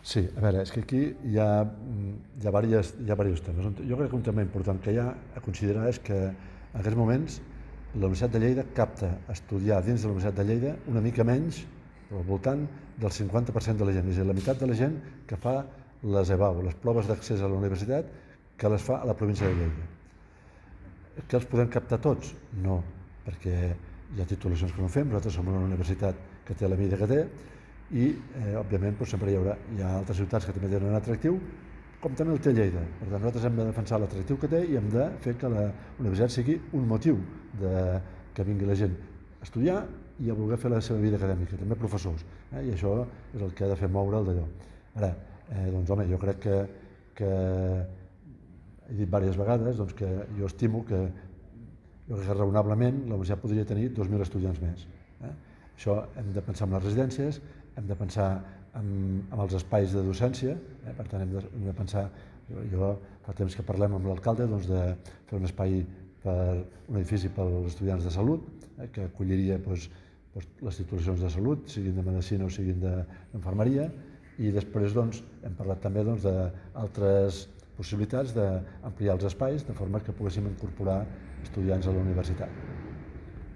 Sí, a veure, és que aquí hi ha diversos temes. Jo crec que un tema important que hi ha a considerar és que en aquests moments la Universitat de Lleida capta estudiar dins de la Universitat de Lleida una mica menys, però al voltant del 50% de la gent, és a dir, la meitat de la gent que fa les EBAU, les proves d'accés a la universitat, que les fa a la província de Lleida. Que els podem captar tots? No, perquè hi ha titulacions que no fem, nosaltres som una universitat que té la mida que té, i òbviament sempre hi ha altres ciutats que també tenen un atractiu, com també el té Lleida. Per tant, nosaltres hem de defensar l'atractiu que té i hem de fer que la universitat sigui un motiu que vingui la gent a estudiar i a voler fer la seva vida acadèmica, també professors, i això és el que ha de fer moure el d'allò. Ara, doncs home, jo crec que he dit diverses vegades que jo estimo que raonablement la universitat podria tenir 2.000 estudiants més. Això hem de pensar en les residències, hem de pensar en els espais de docència, per tant hem de pensar, jo fa temps que parlem amb l'alcalde de fer un espai un edifici per als estudiants de salut, que acolliria les titulacions de salut, siguin de medicina o siguin d'infermeria, i després hem parlat també d'altres possibilitats d'ampliar els espais de forma que poguéssim incorporar estudiants a la universitat.